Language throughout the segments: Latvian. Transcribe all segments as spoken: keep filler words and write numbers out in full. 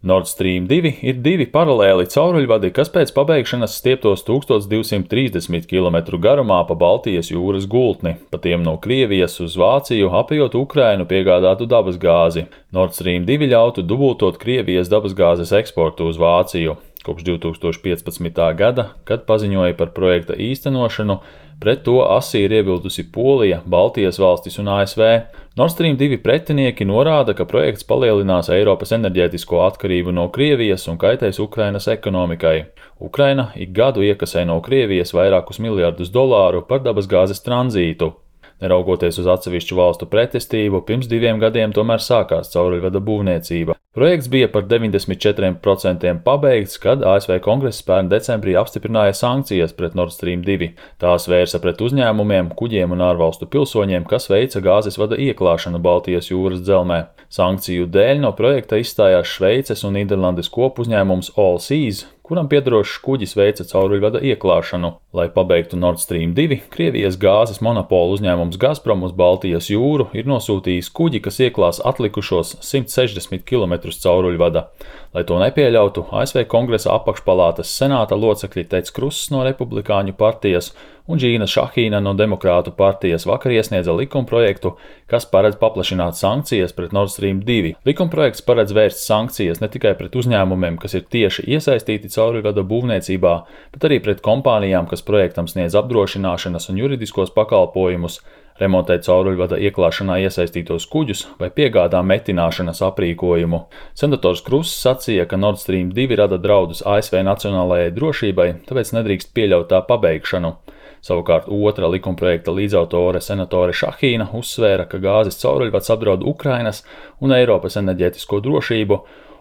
Nord Stream divi ir divi paralēli cauruļvadi, kas pēc pabeigšanas stieptos tūkstoš divsimt trīsdesmit kilometru garumā pa Baltijas jūras gultni, pa tiem no Krievijas uz Vāciju, apejot Ukrainu piegādātu dabasgāzi. Nord Stream divi ļautu dubultot Krievijas dabasgāzes eksportu uz Vāciju. Kopš divtūkstoš piecpadsmitā gada, kad paziņoja par projekta īstenošanu, pret to asi ir iebildusi Polija, Baltijas valstis un A S V. Nord Stream divi pretinieki norāda, ka projekts palielinās Eiropas enerģētisko atkarību no Krievijas un kaitēs Ukrainas ekonomikai. Ukraina ik gadu iekasē no Krievijas vairākus miljardus dolāru par dabasgāzes tranzītu. Neraugoties uz atsevišķu valstu pretestību, pirms diviem gadiem tomēr sākās cauruļvada būvniecība. Projekts bija par deviņdesmit četriem procentiem pabeigts, kad A S V Kongress pērn decembrī apstiprināja sankcijas pret Nord Stream divi. Tās vērsa pret uzņēmumiem, kuģiem un ārvalstu pilsoņiem, kas veica gāzes vada ieklāšanu Baltijas jūras dzelzmē. Sankciju dēļ no projekta izstājās Šveices un Nīderlandes kopuzņēmums Allseas, kuram piederošs kuģis veica cauruļvada ieklāšanu. Lai pabeigtu Nord Stream divi, Krievijas gāzes monopola uzņēmums Gazprom uz Baltijas jūru ir nosūtījis kuģi, kas ieklās atlikušos simt sešdesmit kilometrus cauruļvada. Lai to nepieļautu, A S V Kongresa apakšpalātas senāta locekļi Teds Kruss no Republikāņu partijas un Džīna Šahīna no Demokrātu partijas vakar iesniedza likumprojektu, kas paredz paplašināt sankcijas pret Nord Stream divi. Likumprojekts paredz vērst sankcijas ne tikai pret uzņēmumiem, kas ir tieši iesaistīti cauruļvada būvniecībā, bet arī pret kompānijām, kas projektam sniedz apdrošināšanas un juridiskos pakalpojumus, remontē cauruļvada ieklāšanā iesaistītos kuģus vai piegādā metināšanas aprīkojumu. Senators Kruss sacīja, ka Nord Stream divi rada draudus A S V nacionālajai drošībai, tāpēc nedrīkst pieļaut tā pabeigšanu. Savukārt otra likumprojekta līdzautore senatore Šahīna uzsvēra, ka gāzes cauruļvads apdraud Ukrainas un Eiropas enerģētisko drošību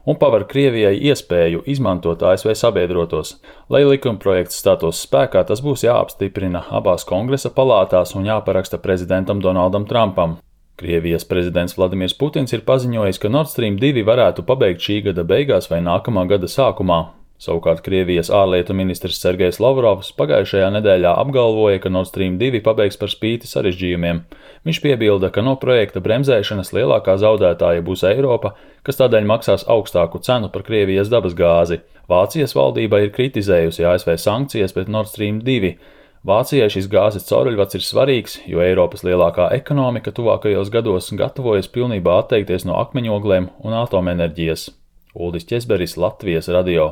un paver Krievijai iespēju izmantot A S V sabiedrotos. Lai likumprojekts stātos spēkā, tas būs jāapstiprina abās kongresa palātās un jāparaksta prezidentam Donaldam Trumpam. Krievijas prezidents Vladimirs Putins ir paziņojis, ka Nord Stream divi varētu pabeigt šī gada beigās vai nākamā gada sākumā. Savukārt Krievijas ārlietu ministrs Sergejs Lavrovs pagājušajā nedēļā apgalvoja, ka Nord Stream divi pabeigs par spīti sarežģījumiem. Viņš piebilda, ka no projekta bremzēšanas lielākā zaudētāja būs Eiropa, kas tādēļ maksās augstāku cenu par Krievijas dabasgāzi. Vācijas valdība ir kritizējusi A S V sankcijas pret Nord Stream divi. Vācijai šis gāzes cauruļvads ir svarīgs, jo Eiropas lielākā ekonomika tuvākajos gados gatavojas pilnībā atteikties no akmeņogliem un atomenerģijas. Uldis Ķesberis, Latvijas radio.